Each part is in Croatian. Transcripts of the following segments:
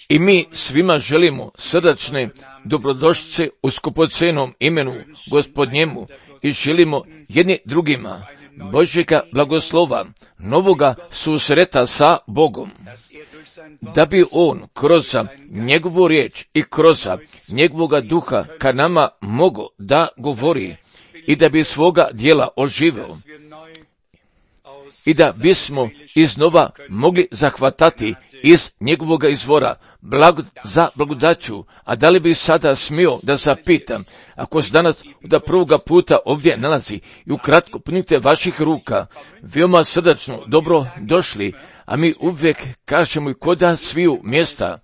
I mi svima želimo srdačne dobrodošlice u skupocenom imenu Gospodnjemu i želimo jedni drugima Božjega blagoslova, novoga susreta sa Bogom, da bi On kroz njegovu riječ i kroz njegovoga duha ka nama mogao da govori i da bi svoga djela oživio i da bismo iznova mogli zahvatati iz njegovoga izvora za blagodaću. A da li bi sada smio da zapitam, ako se danas da prvoga puta ovdje nalazi i ukratko punite vaših ruka, veoma srdačno dobro došli, a mi uvijek kažemo i koda sviju mjesta.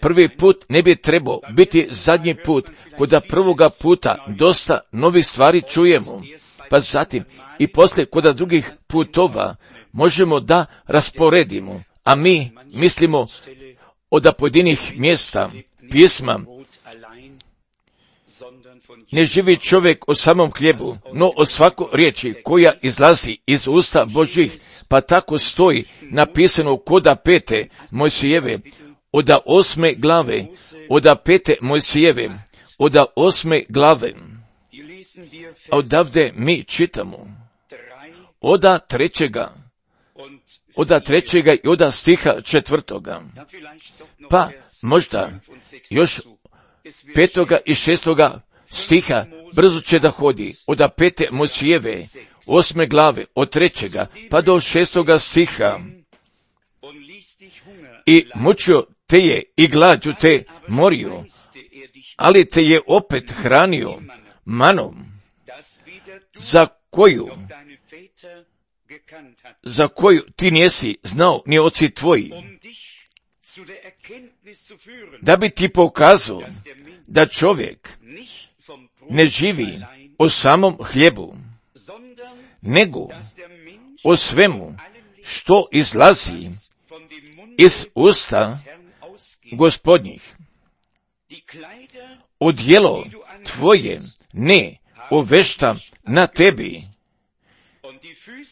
Prvi put ne bi trebao biti zadnji put, koda prvoga puta dosta novih stvari čujemo, pa zatim i poslije koda drugih putova možemo da rasporedimo, a mi mislimo od pojedinih mjesta pisma. Ne živi čovjek o samom hlijebu, no o svakoj riječi koja izlazi iz usta Božjih, pa tako stoji napisano koda 5. Mojsijeve, od 8. glave, od 5. Mojsijeve, od 8. glave. A odavde mi čitamo od 3. i od stiha 4. Pa možda još 5. i 6. stiha brzo će da hodi od 5. Mojsijeve, 8. glave, od 3. pa do 6. stiha. I mučio te je i glađu te morio, ali te je opet hranio manom, za koju ti nisi znao ni oci tvoji, da bi ti pokazao da čovjek ne živi o samom hljebu, nego o svemu što izlazi iz usta Gospodnjih. Odjelo tvoje ne ovešta na tebi,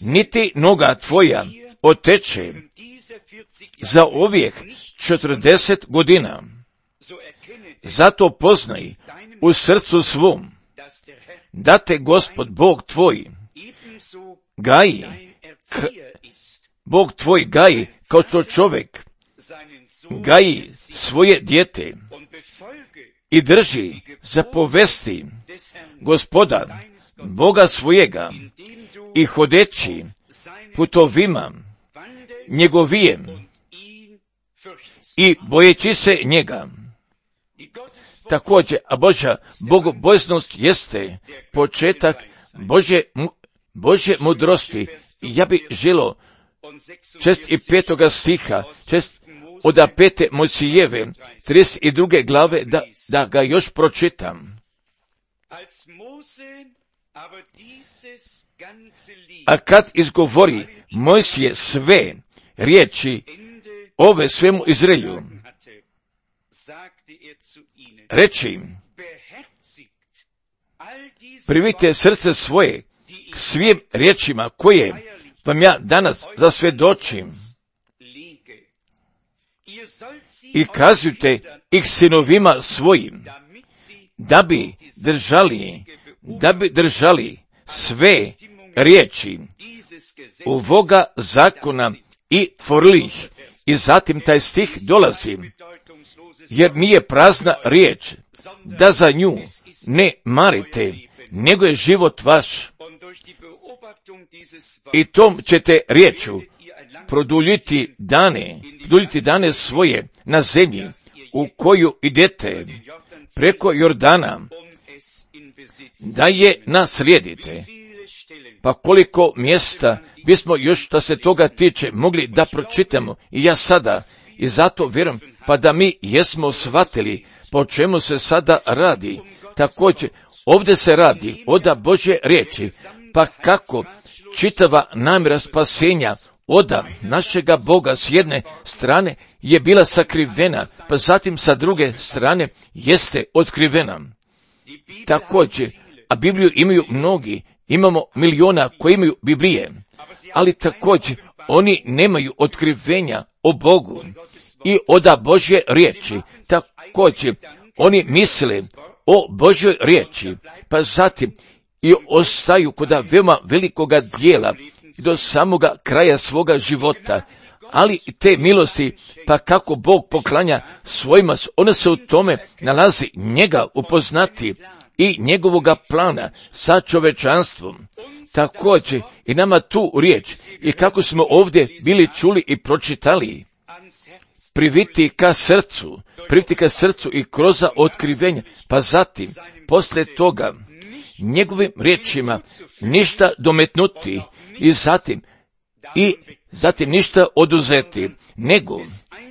niti noga tvoja oteče za ovih 40 godina. Zato poznaj u srcu svom da te Gospod Bog tvoj gaji, Bog tvoj gaji kao što čovjek gaji svoje dijete i drži za povesti Gospoda Boga svojega i hodeći putovima njegovijem i bojeći se njega. Također, a Božja bogobojaznost jeste početak Božje mudrosti. I ja bih želio 6. i 5. stiha, od 5. Mojsijeve, 32. glave, da ga još pročitam. A kad izgovori Mojsije sve riječi ove svemu Izraelju, reči, primite srce svoje k svim riječima koje vam ja danas zasvjedočim i kazujte ih sinovima svojim, da bi držali sve riječi ovoga zakona i tvorili ih. I zatim taj stih dolazi, jer nije prazna riječ, da za nju ne marite, nego je život vaš. I tom ćete riječu produljiti dane svoje na zemlji u koju idete preko Jordana, da je naslijedite. Pa koliko mjesta bismo još što se toga tiče mogli da pročitamo i ja sada, i zato vjerujem pa da mi jesmo shvatili po čemu se sada radi. Također ovdje se radi od Božje riječi, pa kako čitava namjera spasenja od našega Boga s jedne strane je bila sakrivena, pa zatim sa druge strane jeste otkrivena. Također, a Bibliju imaju mnogi, imamo miliona koji imaju Biblije, ali također oni nemaju otkrivenja o Bogu i oda Božje riječi. Također, oni misle o Božjoj riječi, pa zatim i ostaju kod veoma velikoga dijela do samoga kraja svoga života. Ali te milosti, pa kako Bog poklanja svojima, ona se u tome nalazi njega upoznati i njegovoga plana sa čovečanstvom. Također i nama tu riječ i kako smo ovdje bili čuli i pročitali, priviti ka srcu i kroz otkrivenja, pa zatim, poslije toga, njegovim riječima ništa dometnuti i zatim ništa oduzeti,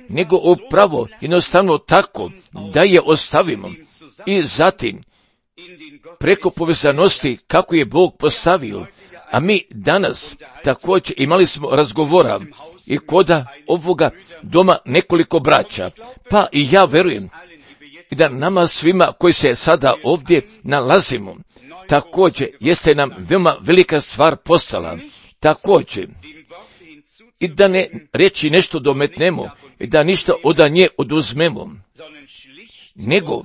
nego upravo jednostavno tako da je ostavimo i zatim preko povezanosti kako je Bog postavio. A mi danas također imali smo razgovora i koda ovoga doma nekoliko braća, pa i ja verujem da nama svima koji se sada ovdje nalazimo, također jeste nam veoma velika stvar postala. Također, i da ne reći nešto dometnemo i da ništa od nje oduzmemo, nego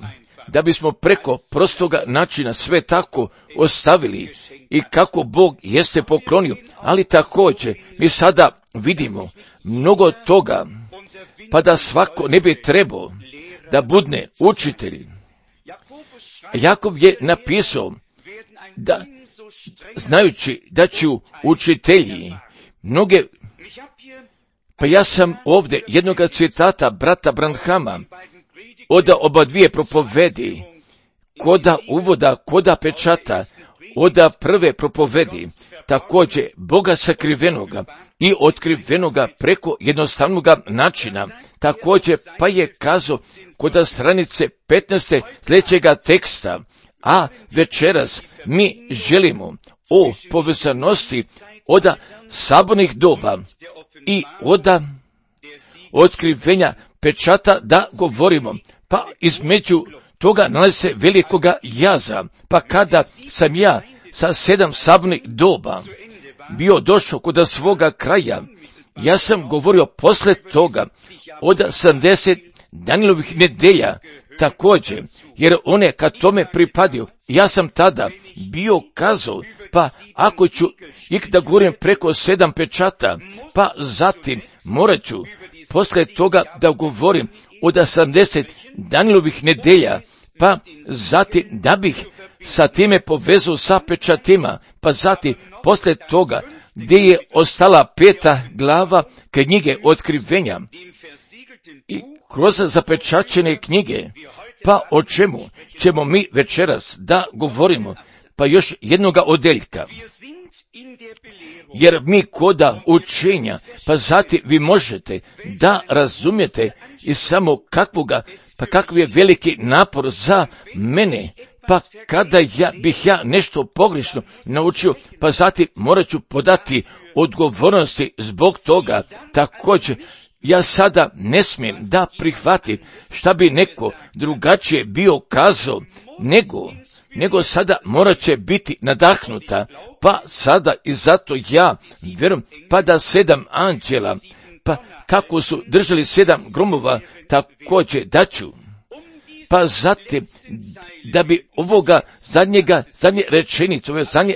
da bismo preko prostoga načina sve tako ostavili i kako Bog jeste poklonio, ali također mi sada vidimo mnogo toga, pa da svako ne bi trebao da budne učitelj. Jakov je napisao da, znajući da ću učitelji mnoge, pa ja sam ovdje jednoga citata brata Branhama od oba dvije propovedi, koda uvoda, koda pečata, od prve propovedi, također Boga sakrivenoga i otkrivenoga preko jednostavnog načina, također pa je kazao koda stranice 15. sljedećega teksta, a večeras mi želimo o povezanosti od sabornih doba i od otkrivenja pečata da govorimo, pa između toga nalazi se velikoga jaza, pa kada sam ja sa 7 sabornih doba bio došao kod svoga kraja, ja sam govorio posle toga od 70 Danijelovih nedelja, također, jer one kad tome pripadio, ja sam tada bio kazao, pa ako ću da govorim preko 7 pečata, pa zatim morat ću posle toga da govorim od 80 Danijelovih nedelja, pa zatim da bih sa time povezao sa pečatima, pa zatim posle toga gdje je ostala 5. glava knjige otkrivenja i kroz zapečaćene knjige, pa o čemu ćemo mi večeras da govorimo, pa još jednoga odeljka. Jer mi koda učenja, pa zatim vi možete da razumijete i samo kakav je veliki napor za mene, pa kada bih ja nešto pogrešno naučio, pa zatim morat ću podati odgovornosti zbog toga. Također, ja sada ne smijem da prihvatim šta bi neko drugačije bio kazao, nego sada morat će biti nadahnuta, pa sada i zato ja vjerujem, pa da 7 anđela, pa kako su držali 7 gromova, također daću, pa zatim da bi ovoga zadnje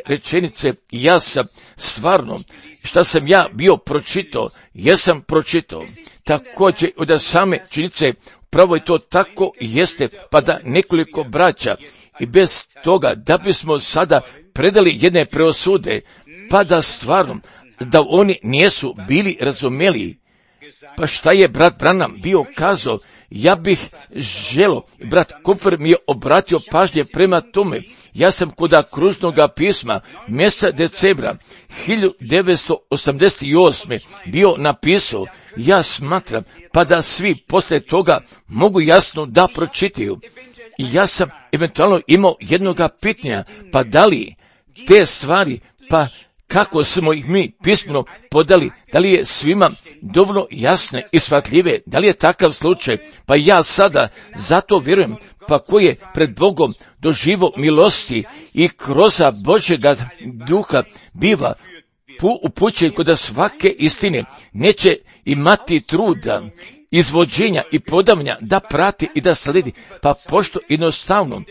rečenice, ja sam stvarno, šta sam ja bio pročitao, jesam pročitao, također od same činjenice, pravo je to tako jeste, pa da nekoliko braća, i bez toga da bismo sada predali jedne preosude, pa da stvarno, da oni nisu bili razumeli, pa šta je brat Branham bio kazao, ja bih želo, brat Kupfer mi je obratio pažnje prema tome, ja sam kod kružnog pisma mjeseca decembra 1988. bio napisao, ja smatram, pa da svi poslije toga mogu jasno da pročitaju. I ja sam eventualno imao jednoga pitanja, pa da li te stvari, pa kako smo ih mi pismeno podali, da li je svima dovoljno jasne i shvatljive, da li je takav slučaj, pa ja sada zato vjerujem, pa koji je pred Bogom doživo milosti i kroz Božjega duha biva upućuje kod svake istine, neće imati truda, izvođenja i podavanja da prati i da sledi, pa pošto jednostavno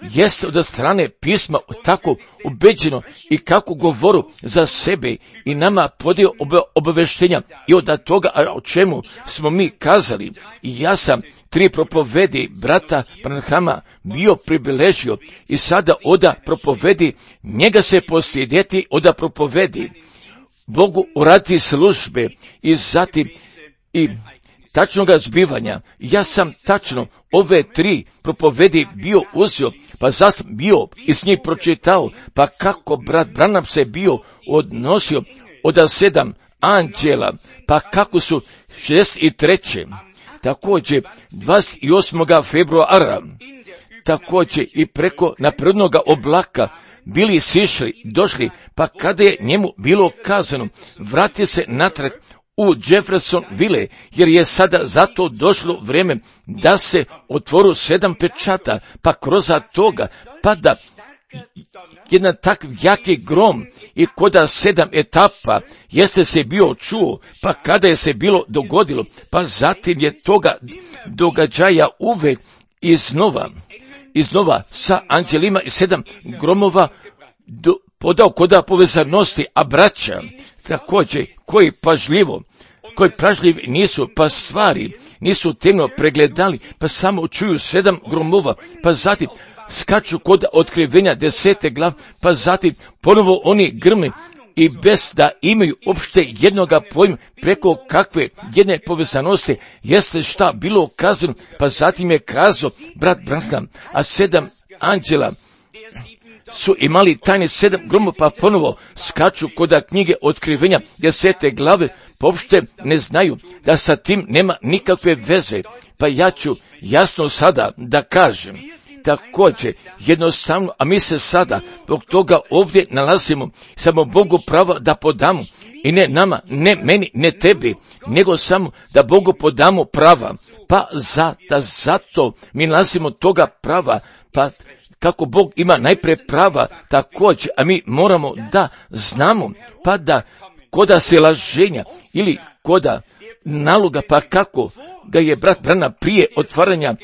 jeste od strane pisma tako ubeđeno i kako govoru za sebe i nama podio obaveštenja i od toga o čemu smo mi kazali. I ja sam 3 propovedi brata Branhama bio pribiležio i sada oda propovedi, njega se postidjeti oda propovedi, Bogu uraditi službe i zatim i tačnoga zbivanja. Ja sam tačno ove 3 propovedi bio uzeo, pa sam bio i s njih pročitao, pa kako brat Branham se bio odnosio od 7 anđela, pa kako su 63. Također 28. februara, također i preko naprednoga oblaka bili sišli, došli, pa kada je njemu bilo kazano, vrati se natrag u Jeffersonville, jer je sada zato došlo vrijeme da se otvoru 7 pečata, pa kroz toga pada jedan tak jaki grom i koda 7 etapa jeste se bio čuo, pa kada je se bilo dogodilo, pa zatim je toga događaja uvek iznova sa anđelima i 7 gromova podao koda povezanosti, a braća također koji pažljivi nisu, pa stvari nisu temno pregledali, pa samo čuju 7 gromova, pa zatim skaču kod otkrivenja 10. glav, pa zatim ponovo oni grme i bez da imaju uopšte jednoga pojma preko kakve jedne povezanosti jeste šta bilo kazano, pa zatim je kazao brat Branham, a 7 anđela su imali tajne 7 gromova, pa ponovo skaču kod knjige otkrivenja 10. glave, pa uopšte ne znaju da sa tim nema nikakve veze, pa ja ću jasno sada da kažem. Također, jednostavno, a mi se sada zbog toga ovdje nalazimo, samo Bogu pravo da podamo, i ne nama, ne meni, ne tebi, nego samo da Bogu podamo prava, pa zato mi nalazimo toga prava, pa kako Bog ima najprije prava, također, a mi moramo da znamo, pa da koda se laženja ili koda naloga, pa kako ga je brat Branham prije otvaranja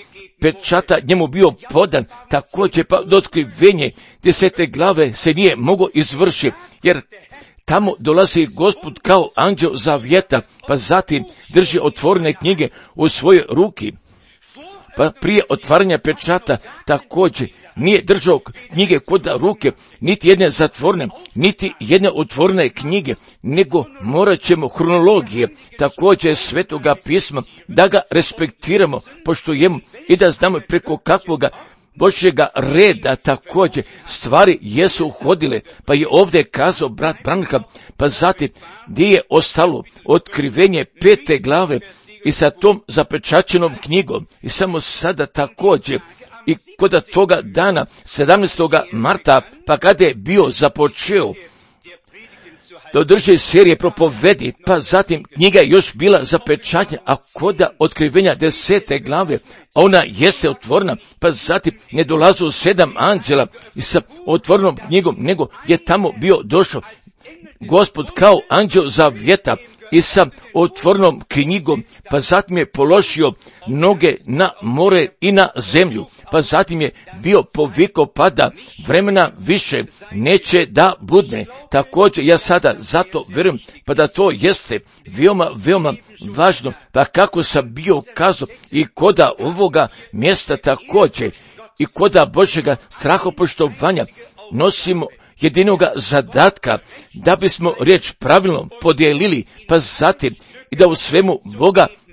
pečata njemu bio podan, također pa do otkrivenje 10. glave se nije mogao izvršiti, jer tamo dolazi Gospod kao anđeo zavjeta, pa zatim drži otvorene knjige u svojoj ruki. Pa prije otvaranja pečata također nije držao knjige kod ruke, niti jedne zatvorene, niti jedne otvorene knjige, nego morat ćemo hronologije, također svetoga pisma, da ga respektiramo, poštujemo i da znamo preko kakvoga Božjega reda također stvari jesu uhodile, pa je ovdje kazao brat Branham, pa zatim gdje je ostalo otkrivenje 5. glave i sa tom zapečaćenom knjigom i samo sada također i kod toga dana 17. marta, pa kada je bio započeo da održi serije propovedi, pa zatim knjiga je još bila zapečaćena, a kod otkrivenja 10. glave, a ona jeste otvorena, pa zatim ne dolazu 7 anđela i sa otvorenom knjigom, nego je tamo bio došao Gospod kao anđeo zavjeta i sa otvorenom knjigom, pa zatim je položio noge na more i na zemlju, pa zatim je bio povikao pa da vremena više neće da budne. Također ja sada zato vjerujem, pa da to jeste veoma važno, pa kako sam bio kazao i koda ovoga mjesta također i koda Božjega strahopoštovanja nosimo jedinoga zadatka da bismo riječ pravilno podijelili, pa zatim i da u svemu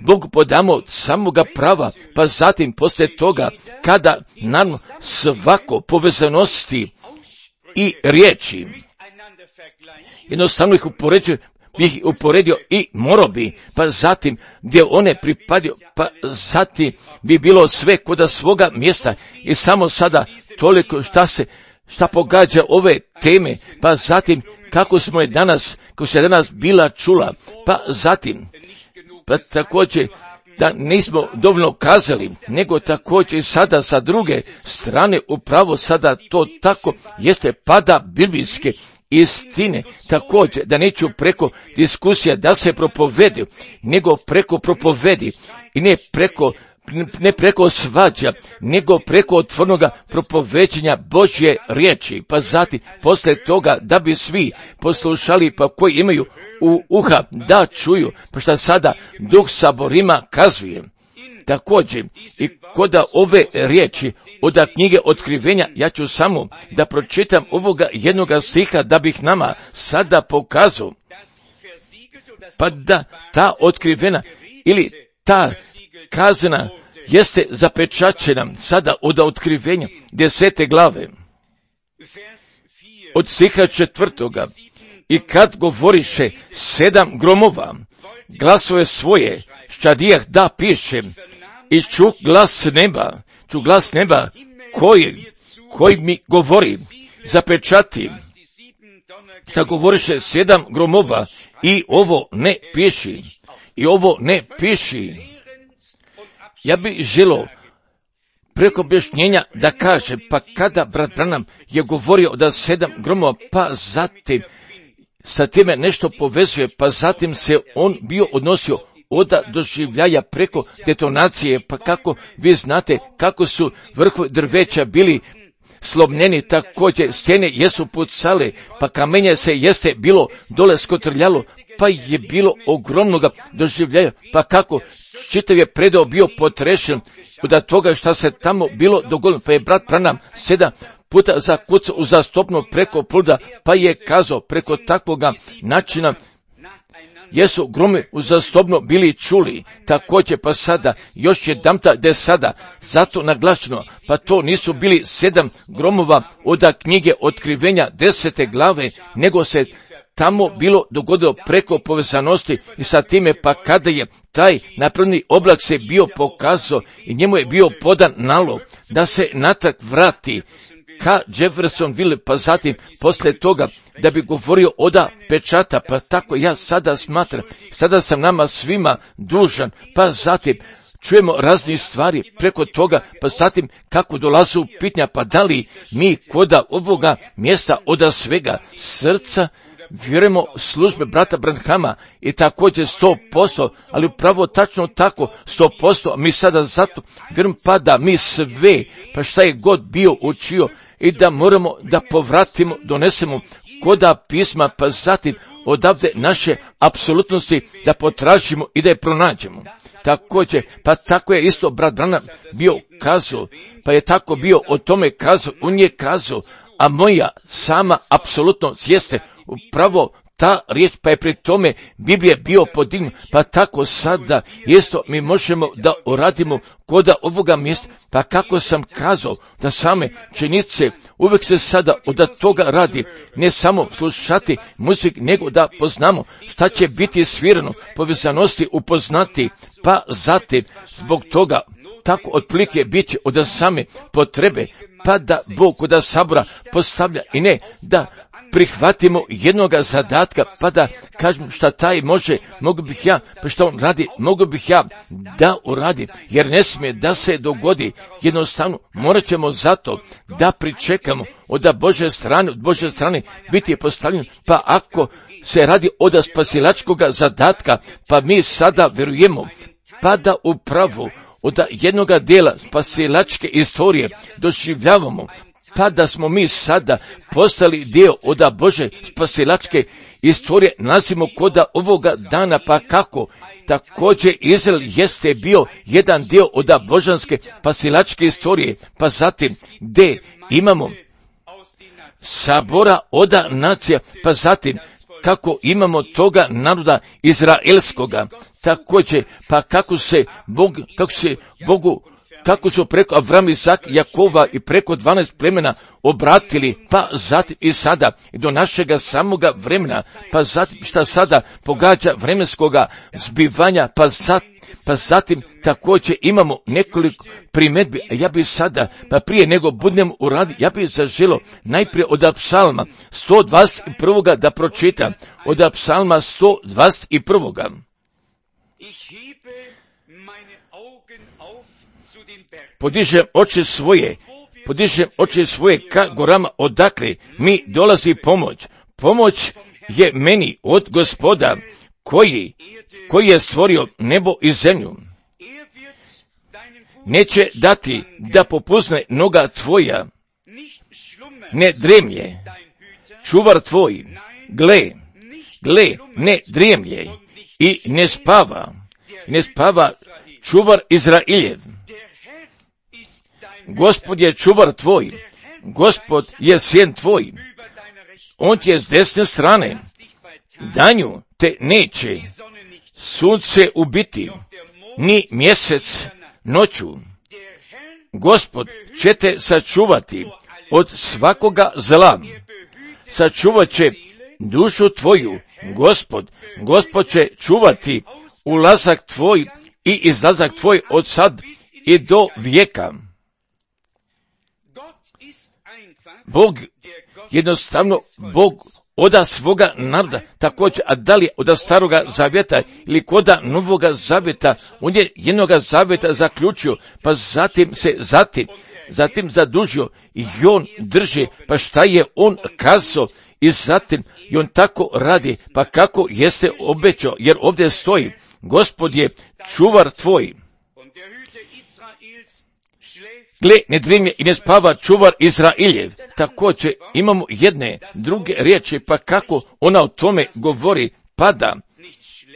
Bogu podamo od samoga prava, pa zatim poslije toga kada nam svako povezanosti i riječi jednostavno ih uporedio i morao bi, pa zatim gdje one pripadio, pa zatim bi bilo sve kod svoga mjesta i samo sada toliko šta pogađa ove teme, pa zatim kako se danas bila čula, pa zatim, pa također da nismo dovoljno kazali, nego također sada sa druge strane upravo sada to tako jeste pada biblijske istine, također da neću preko diskusija da se propovedi, nego preko propovedi i ne preko svađa, nego preko otvornoga propoveđenja Božje riječi, pa zatim posle toga da bi svi poslušali, pa koji imaju uha da čuju, pa šta sada Duh saborima kazuje. Također, i kod ove riječi od knjige Otkrivenja, ja ću samo da pročitam ovoga jednoga stiha da bih nama sada pokazao, pa da ta otkrivena ili ta kazna jeste zapečačena sada od Otkrivenja 10. glave, od stiha 4. I kad govoriše 7 gromova, glasove svoje, ščadijah da piše, i ču glas neba, koji mi govori, zapečati, šta govoriše 7 gromova, i ovo ne piši. Ja bih želio preko objašnjenja da kaže, pa kada brat Branham je govorio da 7 gromova, pa zatim sa time nešto povezuje, pa zatim se on bio odnosio od doživljaja preko detonacije, pa kako vi znate kako su vrhovi drveća bili slomljeni, također stjene jesu pucale, pa kamenje se jeste bilo dole skotrljalo, pa je bilo ogromnoga doživljaja, pa kako čitav je predao bio potrešen od toga šta se tamo bilo dogodilo, pa je brat Branham 7 puta zakucao uzastopno preko pluda, pa je kazao preko takvoga načina jesu gromi uzastopno bili čuli. Također pa sada još jedanputa da je sada zato naglašeno, pa to nisu bili 7 gromova od knjige Otkrivenja 10. glave, nego se tamo bilo dogodilo preko povezanosti i sa time, pa kada je taj napravljeni oblak se bio pokazao i njemu je bio podan nalog da se natrag vrati ka Jeffersonville, pa zatim posle toga da bi govorio oda pečata, pa tako ja sada smatram, sada sam nama svima dužan, pa zatim čujemo raznih stvari preko toga, pa zatim kako dolaze u pitanja, pa da li mi koda ovoga mjesta oda svega srca vjerujemo službe brata Branhama i također 100%, ali upravo tačno tako 100%, mi sada zato vjerujem pa da mi sve, pa šta je god bio učio i da moramo da povratimo, donesemo koda pisma, pa zatim odavde naše apsolutnosti da potražimo i da je pronađemo. Također, pa tako je isto brat Branham bio kazao, pa je tako bio o tome kazao, on je kazao, a moja sama apsolutno jeste upravo ta riječ, pa je pri tome Biblije bio podignut, pa tako sada isto mi možemo da uradimo koda ovoga mjesta, pa kako sam kazao da same činjenice uvijek se sada od toga radi, ne samo slušati muzik, nego da poznamo šta će biti svirano, povezanosti upoznati, pa zatim zbog toga tako otprilike bit će od same potrebe, pa da Bog kod sabora postavlja i ne da prihvatimo jednoga zadatka, pa da kažem šta taj može, mogu bih ja, pa šta on radi, mogu bih ja da uradim, jer ne smije da se dogodi, jednostavno morat ćemo zato da pričekamo od Božje strane biti postavljen, pa ako se radi od spasilačkoga zadatka, pa mi sada vjerujemo, pa da upravo od jednoga dijela spasilačke istorije doživljavamo, pa da smo mi sada postali dio od Bože spasilačke istorije, nalazimo koda ovoga dana, pa kako također Izrael jeste bio jedan dio od božanske spasilačke istorije, pa zatim gdje imamo sabora od nacija, pa zatim kako imamo toga naroda izraelskoga, također pa kako su preko Avram, Isak, Jakova i preko 12 plemena obratili, pa zatim i sada i do našega samoga vremena, pa zatim šta sada pogađa vremenskoga zbivanja, pa zatim također imamo nekoliko primjedbi, a ja bi sada, pa prije nego budem uradi, ja bih zaželio najprije od Psalma 121. da pročitam, od Psalma 121. Podižem oči svoje ka gorama, odakle mi dolazi pomoć. pomoć je meni od Gospoda, koji je stvorio nebo i zemlju. Neće dati da popuzne noga tvoja, ne dremlje, čuvar tvoj, gle, ne dremlje i ne spava čuvar Izrailjev. Gospod je čuvar tvoj, Gospod je sjen tvoj, on ti je s desne strane, danju te neće sunce ubiti, ni mjesec noću. Gospod će te sačuvati od svakoga zla, sačuvat će dušu tvoju, Gospod će čuvati ulazak tvoj i izlazak tvoj od sad i do vijeka. Bog, jednostavno, Bog oda svoga naroda, također, a da li oda staroga zavjeta ili koda novoga zavjeta, on je jednoga zavjeta zaključio, pa zatim zadužio i on drži, pa šta je on kazao i zatim i on tako radi, pa kako jeste obećao, jer ovdje stoji, Gospod je čuvar tvoj. Gle, ne dremlje i ne spava čuvar Izrailjev. Također imamo jedne druge riječi, pa kako ona o tome govori,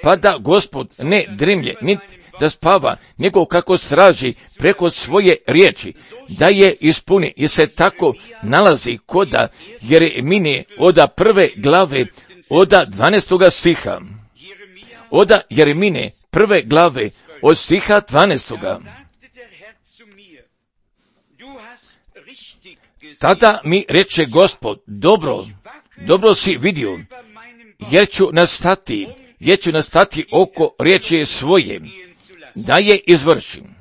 pada Gospod, ne dremlje, niti da spava, nego kako straži preko svoje riječi, da je ispuni, jer se tako nalazi koda Jeremije oda 1. glave, oda 12. stiha. Oda Jeremije 1. glave, od stiha 12. Tada mi reče Gospod, dobro si vidio, jer ću nastati oko riječi svoje, da je izvršim.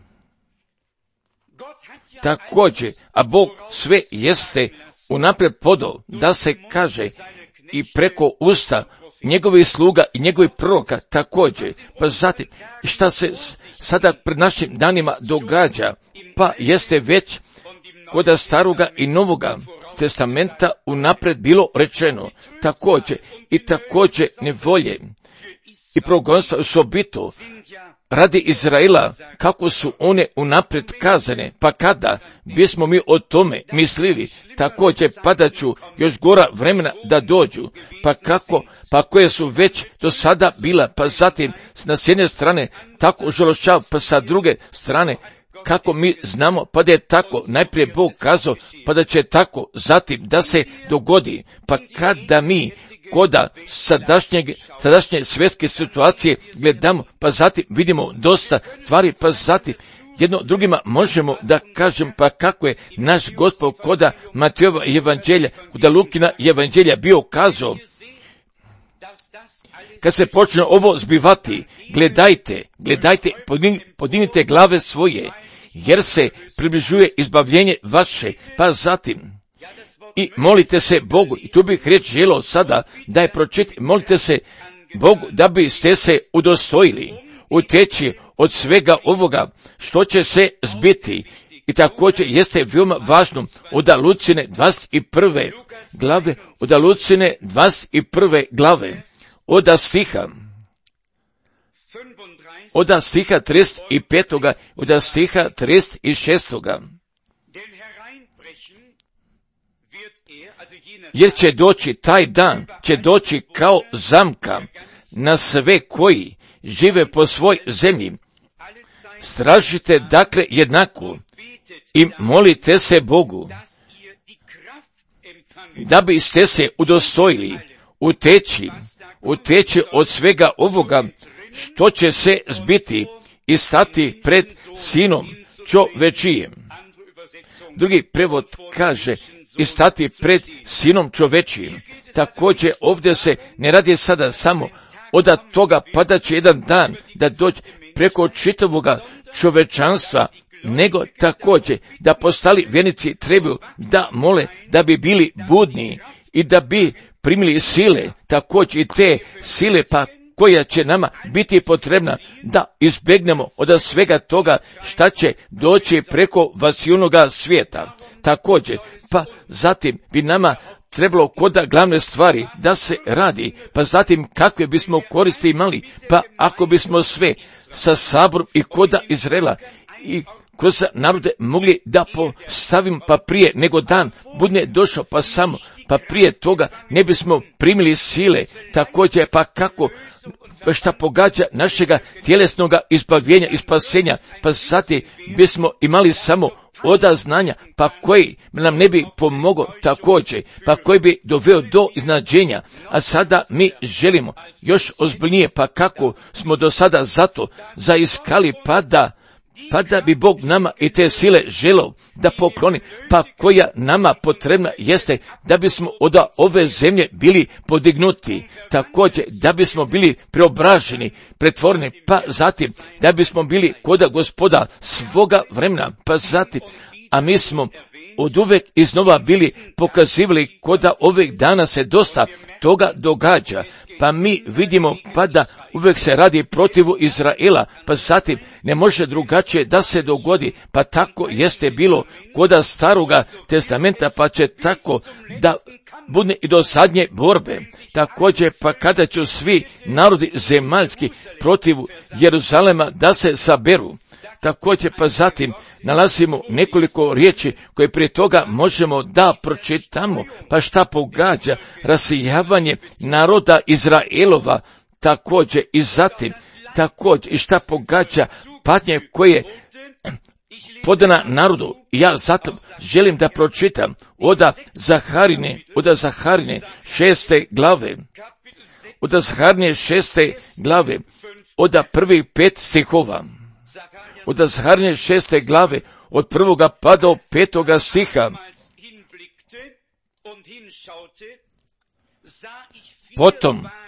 Također, a Bog sve jeste unaprijed podao, da se kaže i preko usta njegovih sluga i njegovih proroka također. Pa zatim, šta se sada pred našim danima događa, pa jeste već kod staroga i novoga testamenta unaprijed bilo rečeno, također nevolje i progonstva osobito radi Izraela, kako su one unaprijed kazane, pa kada bismo mi o tome mislili, također padaću još gora vremena da dođu, pa koje su već do sada bila, pa zatim s jedne strane tako žalošćav, pa sa druge strane kako mi znamo, pa da je tako najprije Bog kazao, pa da će tako zatim da se dogodi, pa kada mi koda sadašnje svjetske situacije gledamo, pa zatim vidimo dosta stvari, pa zatim jedno drugima možemo da kažem, pa kako je naš Gospod koda Matejova evanđelja, koda Lukina evanđelja bio kazao, kad se počne ovo zbivati, gledajte, podignite glave svoje, jer se približuje izbavljenje vaše, pa zatim i molite se Bogu, i tu bih riječ želio sada da je pročitati, molite se Bogu da biste se udostojili uteći od svega ovoga što će se zbiti. I također jeste veoma važno od Lucine 21. glave, od stiha 35. od stiha 36. Jer će doći taj dan, će doći kao zamka na sve koji žive po svoj zemlji. Stražite dakle jednako i molite se Bogu, da biste se udostojili uteći od svega ovoga što će se zbiti i stati pred sinom čovečijim. Drugi prevod kaže i stati pred sinom čovečijim. Također ovdje se ne radi sada samo od toga pa će jedan dan da dođe preko čitavoga čovečanstva, nego također da postali vjernici trebaju da mole da bi bili budni i da bi primili sile, također i te sile pa koja će nama biti potrebna da izbjegnemo od svega toga šta će doći preko vasilnoga svijeta. Također, pa zatim bi nama trebalo koda glavne stvari da se radi, pa zatim kakve bismo koristi imali, pa ako bismo sve sa saborom i koda Izraela i kroz narode mogli da postavim, pa prije nego dan bude došao, pa prije toga ne bismo primili sile, također pa kako šta pogađa našega tjelesnoga izbavljenja i spasenja, pa zatim bismo imali samo oda znanja, pa koji nam ne bi pomogao također, pa koji bi doveo do iznađenja, a sada mi želimo još ozbiljnije, pa kako smo do sada zato zaiskali, pa da bi Bog nama i te sile želeo da pokloni, pa koja nama potrebna jeste da bismo od ove zemlje bili podignuti, također da bismo bili preobraženi, pretvoreni, pa zatim da bismo bili koda Gospoda svoga vremena, pa zatim, a mi smo od uvek iznova bili pokazivali koda ovih dana se dosta toga događa, pa mi vidimo pa da uvek se radi protivu Izraela, pa zatim ne može drugačije da se dogodi, pa tako jeste bilo koda Staroga testamenta, pa će tako da bude i do zadnje borbe. Također pa kada će svi narodi zemaljski protivu Jeruzalema da se saberu. Također pa zatim nalazimo nekoliko riječi koje prije toga možemo da pročitamo, pa šta pogađa rasijavanje naroda Izraelova, također i zatim također i šta pogađa patnje koje podana narodu. Ja zato želim da pročitam od Zaharine 6. glave, od Zaharine 6. glave, od prvih 5 stihova. Od Zaharine 6. glave, od 1. pa do 5. stiha.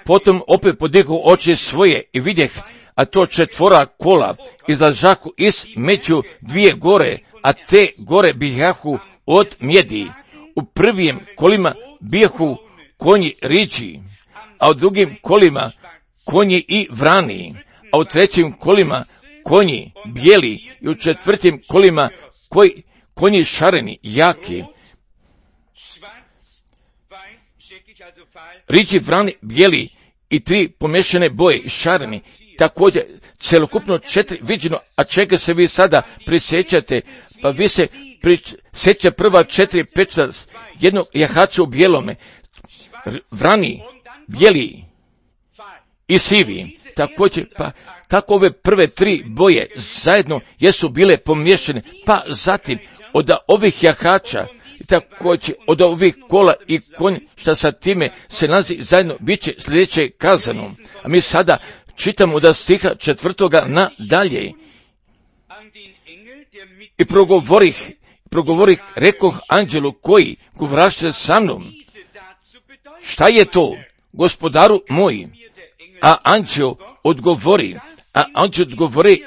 Potom opet podigu oči svoje i vidjeh, a to 4 kola izlažahu između 2 gore, a te gore bijahu od mjedi. U prvim kolima bijahu konji riđi, a u drugim kolima konji i vrani, a u trećim kolima konji bijeli i u 4. kolima konji šareni, jaki. Riđi, vrani, bijeli i 3 pomješane boje šareni, također celokupno 4 viđeno, a čega se vi sada prisjećate, pa vi se prisjeća prva 4 peča jednog jahača u bijelome, vrani, bijeli i sivi, također pa tako ove prve 3 boje zajedno jesu bile pomiješane, pa zatim od ovih jahača i također od ovih kola i konja šta sa time se nalazi zajedno bit će sljedeće kazano. A mi sada čitamo od stiha 4. na dalje. I progovorih, rekoh anđelu koji govraše sa mnom, šta je to, gospodaru moj? A anđel odgovori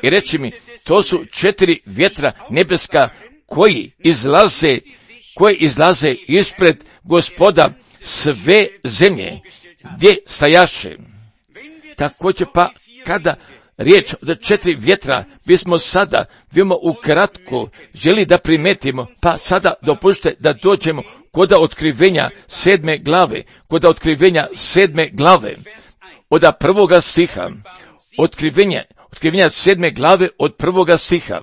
i reče mi, to su 4 vjetra nebeska koji izlaze ispred Gospoda sve zemlje gdje stajaše. Također pa kada riječ od 4 vjetra bismo sada vidimo ukratko želi da primetimo, pa sada dopustite da dođemo kod otkrivenja 7. glave, od 1. stiha, otkrivenja 7. glave od 1. stiha.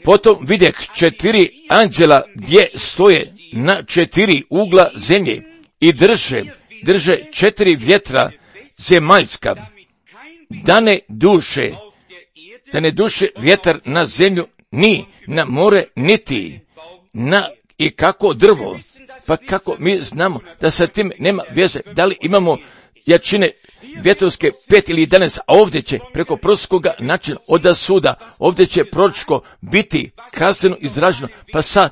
Potom vidjeh 4 anđela gdje stoje na 4 ugla zemlje i drže 4 vjetra zemaljska, da ne duše vjetar na zemlju, ni na more, niti na i kako drvo. Pa kako mi znamo da sa tim nema veze, da li imamo jačine vjetrovske 5 ili 11, a ovdje će preko proročkoga načina od suda, ovdje će proročko biti kazneno izraženo, pa sa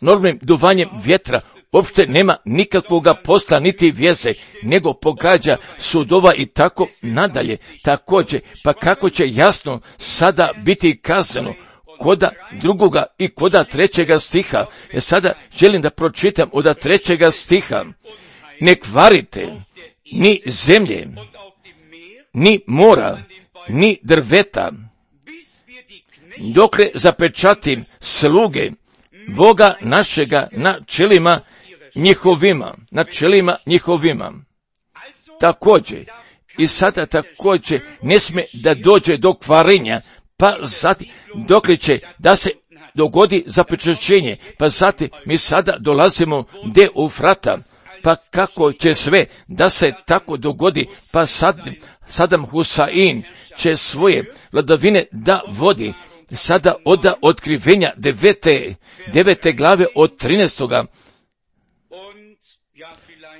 normalnim duvanjem vjetra uopšte nema nikakvoga posla niti veze, nego pogađa sudova i tako nadalje. Također, pa kako će jasno sada biti kazano koda 2. i koda 3. stiha. Sada želim da pročitam od 3. stiha. Ne kvarite ni zemlje, ni mora, ni drveta, dokle zapečatim sluge Boga našega na čelima njihovima. Također, i sada također ne smije da dođe do kvarenja, pa zatim dokle će da se dogodi zapečaćenje, pa zatim mi sada dolazimo do Eufrata, pa kako će sve da se tako dogodi, pa Sadam Husain će svoje vladavine da vodi, sada od otkrivenja 9. glave od 13.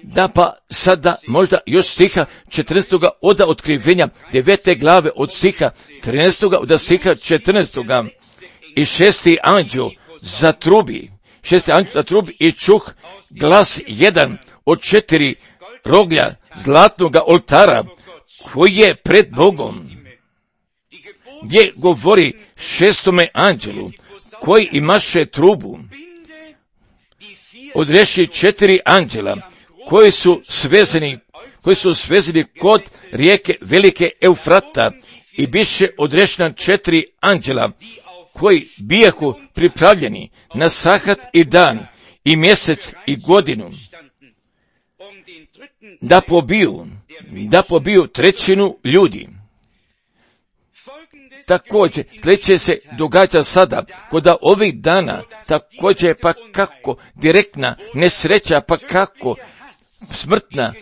Da pa sada možda još stiha 14. od otkrivenja 9. glave od stiha 13. od stiha 14. I šesti anđeo zatrubi i čuh glas jedan od 4 roglja zlatnog oltara koji je pred Bogom, gdje govori šestome anđelu koji imaše trubu, odreši 4 anđela koji su svezani kod rijeke velike Eufrata i biše odrešena 4 anđela koji bijahu pripravljeni na sahat i dan i mjesec i godinu da pobiju trećinu ljudi. Također, sljedeće se događa sada, kod ovih dana, također pa kako direktna nesreća, pa kako smrtna,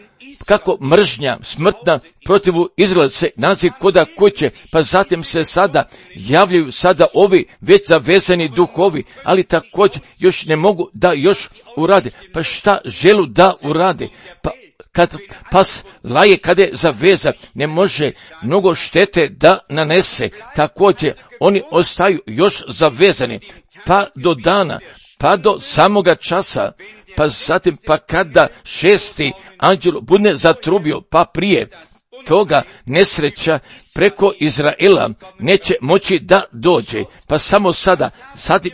kako mržnja smrtna protivu Izraelce naziv koda kuće, pa zatim se sada javljaju sada ovi već zavezani duhovi, ali također još ne mogu da još urade. Pa šta želu da urade? Pa kad pas laje kada je zaveza, ne može mnogo štete da nanese. Također oni ostaju još zavezani, pa do dana, pa do samoga časa, pa zatim pa kada 6. anđel bude zatrubio, pa prije toga nesreća preko Izraela neće moći da dođe. Pa samo sada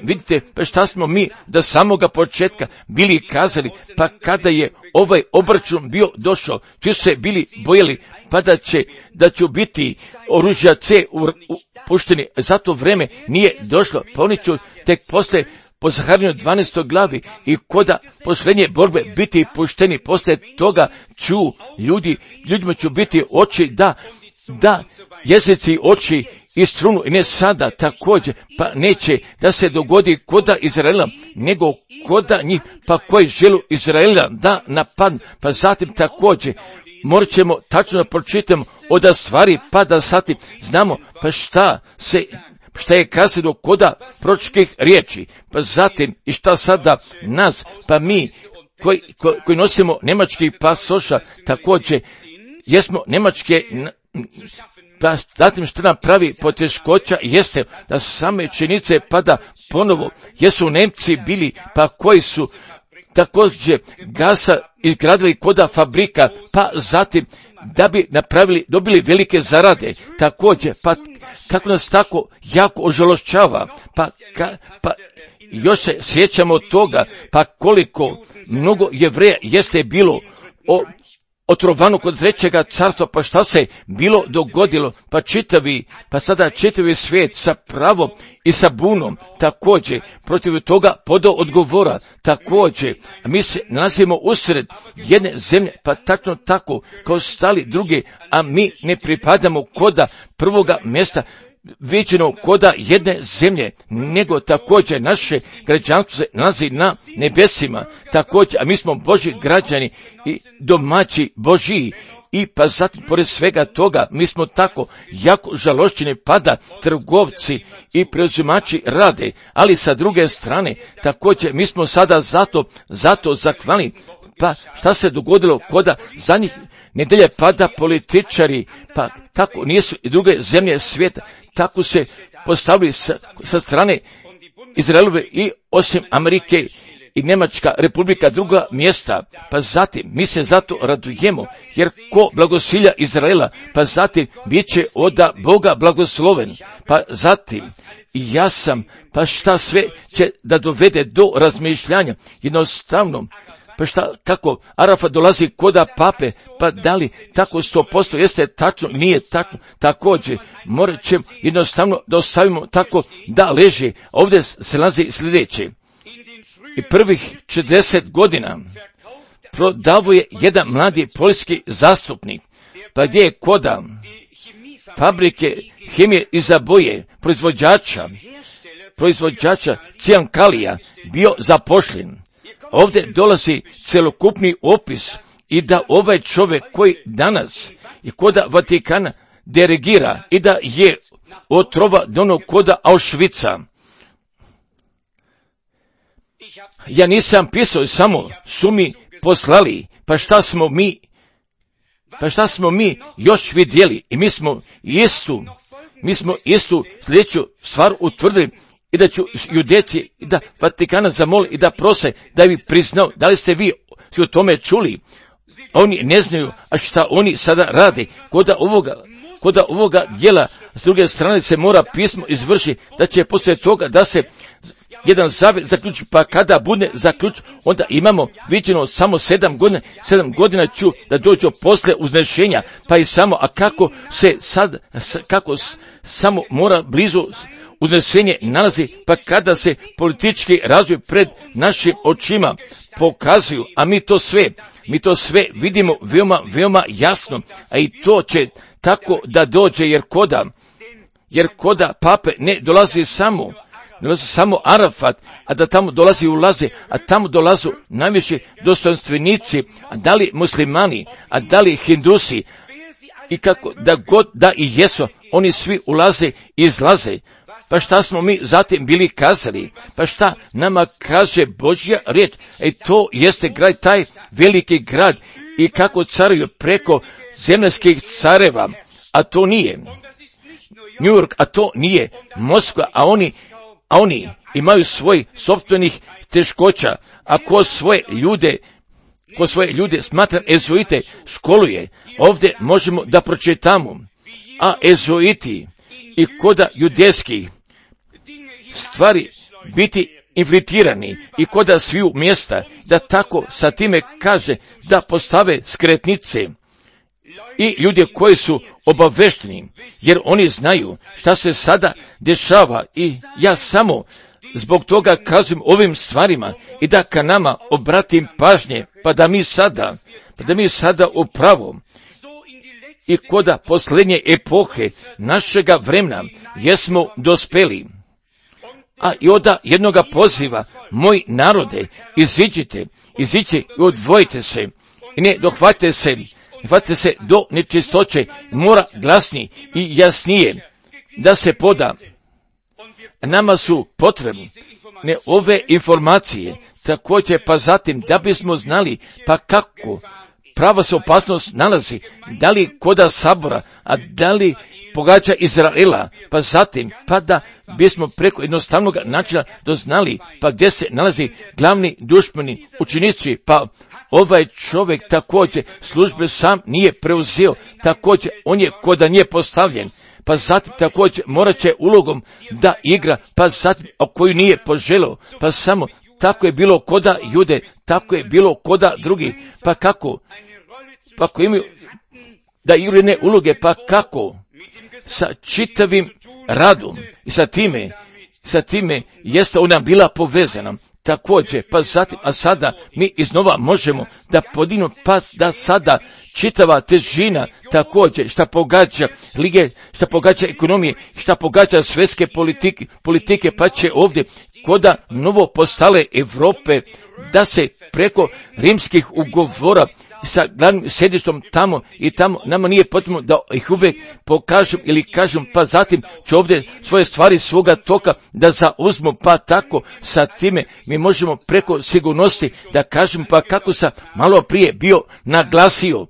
vidite pa šta smo mi do samoga početka bili kazali, pa kada je ovaj obračun bio došao, svi su se bili bojali, pa da će biti oružja C pušteni, zato vreme nije došlo, pa oni će tek posle po Zaharinju 12. glavi i koda posljednje borbe biti pušteni, poslije toga ljudima će biti oči da jezici oči i strunu, i ne sada također, pa neće da se dogodi koda Izraela, nego koda njih, pa koji želu Izraela da napadnu, pa zatim također morat ćemo tačno pročitati od stvari, pa da zatim znamo pa šta je kazano koda proročkih riječi, pa zatim i šta sada nas, pa mi koji nosimo nemački pasoša, također jesmo nemačke, pa zatim što nam pravi poteškoća jeste da same činjenice pada ponovo, jesu Nemci bili, pa koji su također gasa izgradili koda fabrika, pa zatim da bi dobili velike zarade, također, pa kako nas tako jako ožalošćava, pa još se sjećamo toga, pa koliko mnogo Jevreja jeste bilo otrovano kod trećega carstva, pa šta se bilo dogodilo, pa sada čitavi svijet sa pravom i sa bunom, također, protiv toga podao odgovora, također, mi se nalazimo usred jedne zemlje, pa tačno tako, kao stali druge, a mi ne pripadamo koda prvoga mjesta, viđeno koda jedne zemlje, nego također naše građanstvo se nalazi na nebesima, također, a mi smo Božji građani i domaći Božji, i pa zatim, pored svega toga, mi smo tako jako žalošćeni, pada trgovci i preuzimači rade, ali sa druge strane, također, mi smo sada zato zahvalni. Pa šta se dogodilo koda zadnjih nedelje pada političari, pa tako nisu i druge zemlje svijeta, tako se postavili sa strane Izraelove i osim Amerike i Njemačka republika druga mjesta, pa zatim mi se zato radujemo, jer ko blagosilja Izraela, pa zatim bit će od Boga blagosloven, pa zatim i ja sam, pa šta sve će da dovede do razmišljanja, jednostavno, pa šta, kako Arafat dolazi koda pape, pa da li tako 100% jeste tačno, nije tačno, također morat ćemo jednostavno da ostavimo tako da leže. Ovdje se nalazi sljedeće, i prvih 40 godina prodavo je jedan mladi poljski zastupnik, pa gdje je koda fabrike hemije iza boje, proizvođača cijankalija bio zapošljen. Ovdje dolazi celokupni opis i da ovaj čovjek koji danas i koda Vatikana dirigira i da je otrova dono koda Auschwitza. Ja nisam pisao, samo su mi poslali, pa šta smo mi još vidjeli i mi smo istu sljedeću stvar utvrdili i da ću judeci i da Vatikana zamoli i da prose da bi priznao, da li ste vi o tome čuli? Oni ne znaju, a šta oni sada rade, koda ovoga djela, s druge strane se mora pismo izvrši, da će poslije toga da se jedan zavjet zaključi, pa kada bude zaključ, onda imamo viđeno samo 7 godina ću da dođu posle uznešenja, pa i samo, a kako samo mora blizu uznešenje nalazi, pa kada se politički razvoj pred našim očima pokazuju, a mi to sve vidimo veoma jasno, a i to će tako da dođe, jer koda pape ne dolazi samo Arafat, a da tamo ulaze, a tamo dolazu najviši dostojanstvenici, a da li muslimani, a da li hindusi, i kako da god da i jesu, oni svi ulaze i izlaze. Pa šta smo mi zatim bili kazali? Pa šta nama kaže Božja riječ? To jeste grad, taj veliki grad, i kako caruju preko zemaljskih careva, a to nije New York, a to nije Moskva, a oni imaju svoj sopstvenih teškoća, a ko svoje ljude smatram ezuite školuje. Ovdje možemo da pročitamo, a ezuiti i koda judejskih stvari biti infiltrirani i koda sviju mjesta, da tako sa time kaže da postave skretnice i ljudi koji su obavešteni, jer oni znaju šta se sada dešava, i ja samo zbog toga kažem ovim stvarima i da ka nama obratim pažnje, pa da mi sada upravo i koda posljednje epohe našega vremena jesmo dospeli. A i oda jednoga poziva, moj narode, iziđite i odvojite se i ne dohvatite se do nečistoće, mora glasnije i jasnije da se poda. Nama su potrebne ove informacije, također pa zatim da bismo znali pa kako prava se opasnost nalazi, da li koda sabora, a da li pogađa Izraela, pa zatim pa da bismo preko jednostavnog načina doznali pa gdje se nalazi glavni dušmani učenici, pa ovaj čovjek također službe sam nije preuzeo, također on je koda nije postavljen, pa zatim također morat će ulogom da igra, pa zatim koju nije poželio, pa samo tako je bilo koda Jude, tako je bilo koda drugi, pa kako imaju da igraju ne uloge, pa kako sa čitavim radom i sa time jeste ona bila povezana. Također, pa zatim, a sada mi iznova možemo da podignemo, pa da sada čitava težina također šta pogađa lige, šta pogađa ekonomije, šta pogađa svjetske politike, pa će ovdje koda novo postale Europe da se preko rimskih ugovora sa glavnim sjedištom tamo i tamo, nama nije potrebno da ih uvijek pokažem ili kažem, pa zatim ću ovdje svoje stvari svoga toka da zauzmu, pa tako sa time mi možemo preko sigurnosti da kažem, pa kako sam malo prije bio naglasio,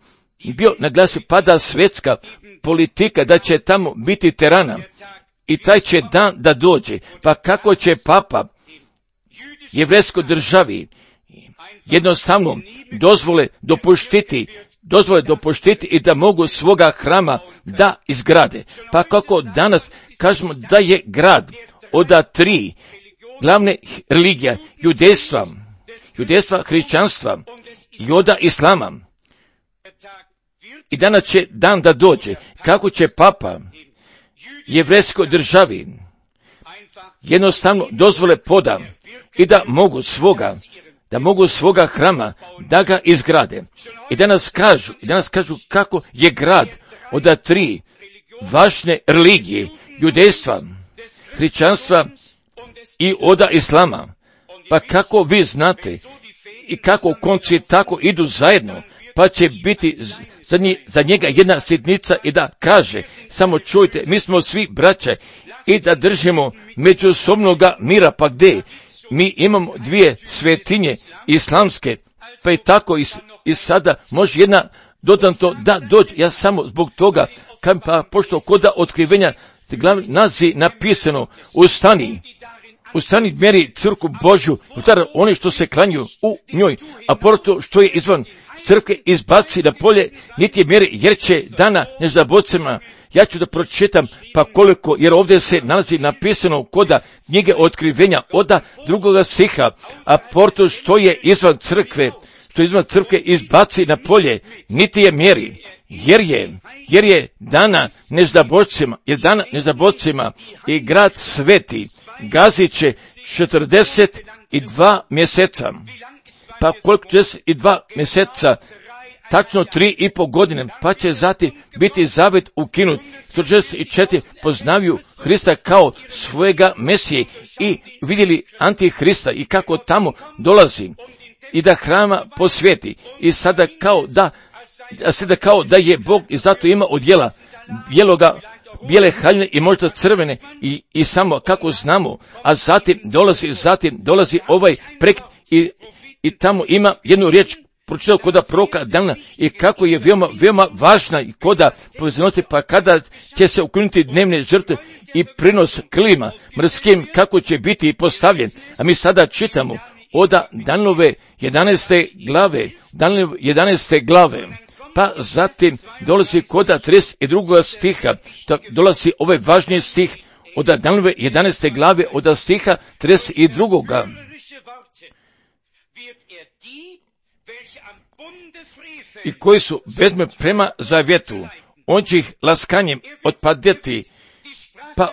pa da svjetska politika da će tamo biti terana i taj će dan da dođe, pa kako će papa jevrejskoj državi jednostavno dozvole dopuštiti i da mogu svoga hrama da izgrade. Pa kako danas kažemo da je grad od 3 glavne religije, judejstva, hrišćanstva i od islama. I danas će dan da dođe, kako će papa jevrejskoj državi jednostavno dozvole poda i da mogu svoga hrama da ga izgrade. I danas kažu kako je grad od 3 važne religije, judejstva, hrišćanstva i od islama. Pa kako vi znate i kako konci tako idu zajedno, pa će biti za njega jedna sitnica i da kaže, samo čujte, mi smo svi braće i da držimo međusobnoga mira, pa gdje? Mi imamo 2 svetinje islamske, pa i tako i sada može jedna dodatno da dođe. Ja samo zbog toga, pa pošto koda otkrivenja nazi napisano, ustani mjeri crkvu Božju, oni što se klanju u njoj, a porto što je izvan crkve izbaci na polje, niti je mjeri, jer će dana nezabocima. Ja ću da pročitam pa koliko, jer ovdje se nalazi napisano koda knjige otkrivenja od 2. stiha, a porto što je izvan crkve izbaci na polje, niti je mjeri, jer je dana nezabocima i grad sveti gazit će 42 mjeseca. Pa koliko 42 mjeseca, tačno 3,5 godine, pa će zatim biti zavet ukinut. 164 poznavaju Hrista kao svojega Mesije i vidjeli Antihrista i kako tamo dolazi i da hrama posveti i sada kao da je Bog i zato ima odjela bijele haljine i možda crvene i samo kako znamo, a zatim dolazi ovaj prekt i tamo ima jednu riječ pročitao koda proroka Dana i kako je veoma važna i koda povezanote, pa kada će se ukinuti dnevne žrtve i prinos krilima mrskim, kako će biti postavljen. A mi sada čitamo od Danilove 11. glave, pa zatim dolazi koda 32. stiha, dolazi ovaj važniji stih od Danilove 11. glave od stiha 32. I koji su bezme prema zavjetu, on će ih laskanjem otpadeti, pa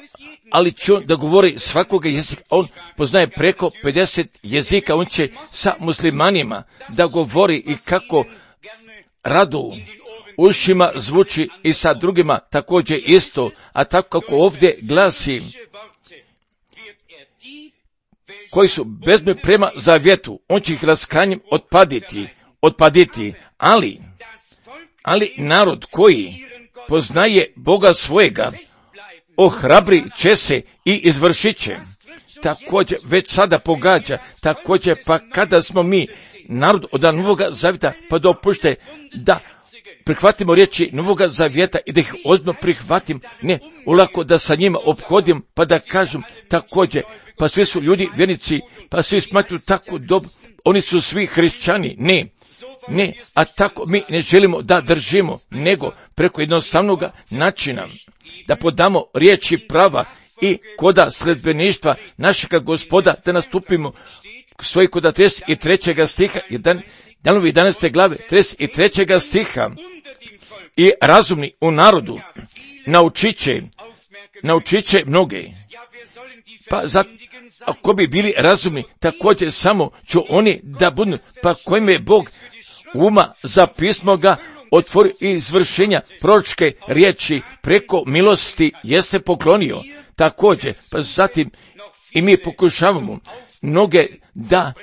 ali će on da govori svakoga jezika, on poznaje preko 50 jezika, on će sa muslimanima da govori i kako radu ušima zvuči i sa drugima također isto, a tako kako ovdje glasi, koji su bezme prema zavjetu, on će ih laskanjem otpaditi, ali narod koji poznaje Boga svojega, ohrabri će se i izvršit će. Također već sada pogađa, također pa kada smo mi narod od Novoga zavjeta, pa dopušte da prihvatimo riječi Novoga zavjeta i da ih ozbiljno prihvatim, ne ulako da sa njima ophodim, pa da kažem također, pa svi su ljudi vjernici, pa svi smatruju tako dobro, oni su svi hrišćani, ne, a tako mi ne želimo da držimo, nego preko jednostavnog načina da podamo riječi prava i koda sledbeništva našega Gospoda, da nastupimo svoj koda 33. stiha, Danovi 11. glave, 33. stiha, i razumni u narodu naučit će mnoge. Pa ako bi bili razumni, također samo ću oni da budu, pa kojim je Bog uma za pismo ga otvori i izvršenja proročke riječi preko milosti jeste poklonio. Također, pa zatim i mi pokušavamo mnoge da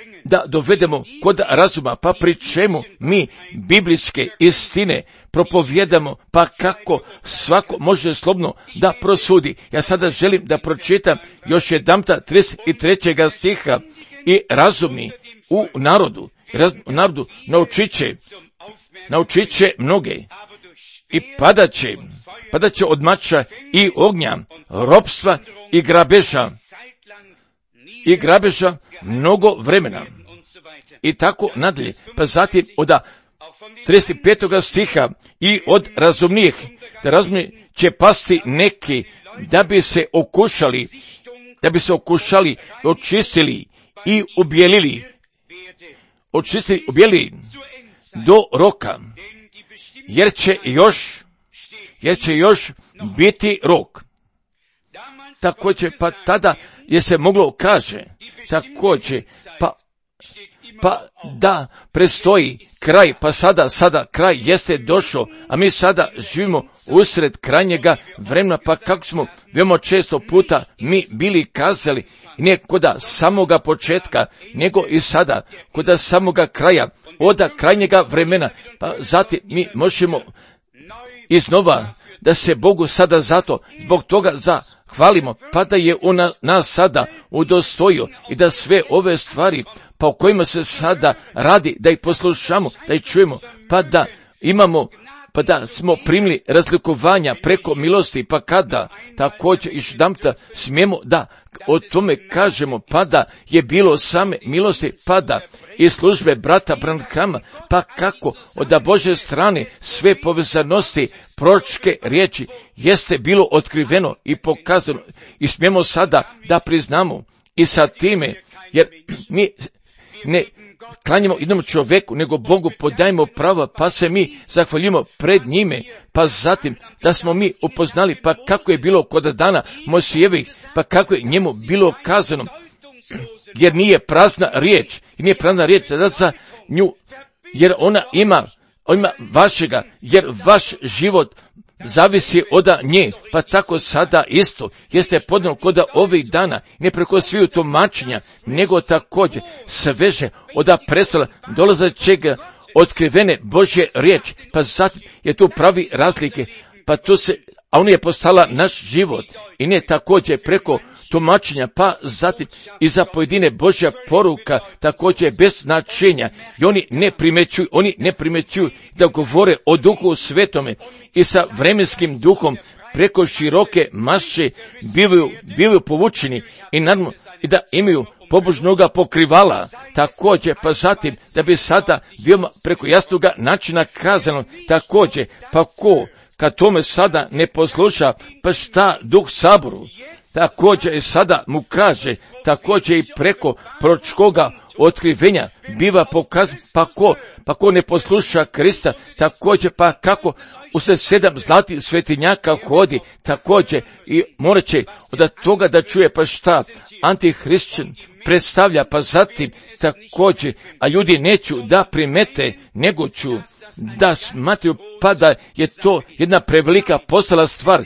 dovedemo kod razuma, pa pri čemu mi biblijske istine propovjedamo, pa kako svako može slobodno da prosudi. Ja sada želim da pročitam još jedanputa 33. stiha, i razumni u narodu naučit će mnoge i padat će od mača i ognja, ropstva i grabeža mnogo vremena. I tako nadalje. Pa zatim od 35. stiha, i od razumnijih, da razumni će pasti neki da bi se okušali, očistili i ubjelili do roka, jer će još biti rok. Također, pa tada je se moglo kaže, također, pa da prestoji kraj, pa sada kraj jeste došao, a mi sada živimo usred krajnjega vremena, pa kako smo veoma često puta mi bili kazali, ne koda samoga početka, nego i sada, koda samoga kraja, od krajnjega vremena, pa zatim mi možemo iznova da se Bogu sada zato, zbog toga zahvalimo, pa da je on nas sada udostojio i da sve ove stvari, pa o kojima se sada radi, da ih poslušamo, da ih čujemo, pa da imamo, pa da smo primili razlikovanja preko milosti, pa kada također još jedanputa smijemo da o tome kažemo, pa da je bilo same milosti, pa da i službe brata Branhama, pa kako od Božje strane sve povezanosti proročke riječi jeste bilo otkriveno i pokazano i smijemo sada da priznamo i sa time, jer mi ne klanjamo jednom čovjeku, nego Bogu podajemo prava, pa se mi zahvaljujemo pred njime, pa zatim da smo mi upoznali, pa kako je bilo kod dana Mojsijevih, pa kako je njemu bilo kazano, jer nije prazna riječ za nju, jer ona ima vašega, jer vaš život zavisi od nje, pa tako sada isto jeste podno kod ovih dana, ne preko sviju tumačenja, nego također sveže od prestola dolazećeg otkrivene Božje riječi, pa zatim je tu pravi razlike, pa tu a on je postala naš život i ne također preko tumačenja, pa zatim i za pojedine Božja poruka također bez značenja i oni ne primećuju da govore o Duhu Svetome i sa vremenskim duhom preko široke maše bivaju povučeni i naravno i da imaju pobožnoga pokrivala, također pa zatim da bi sada veoma preko jasnoga načina kazano, također pa ko kad tome sada ne posluša, pa šta Duh Saboru također i sada mu kaže, također i preko proročkoga otkrivenja biva pokazano, pa ko ne posluša Krista, također pa kako usred 7 zlatih svetinjaka hodi, također i morat će od toga da čuje pa šta antihrišćan predstavlja, pa zatim također, a ljudi neću da primete, nego ću da smatruju, pa da je to jedna prevelika postala stvar,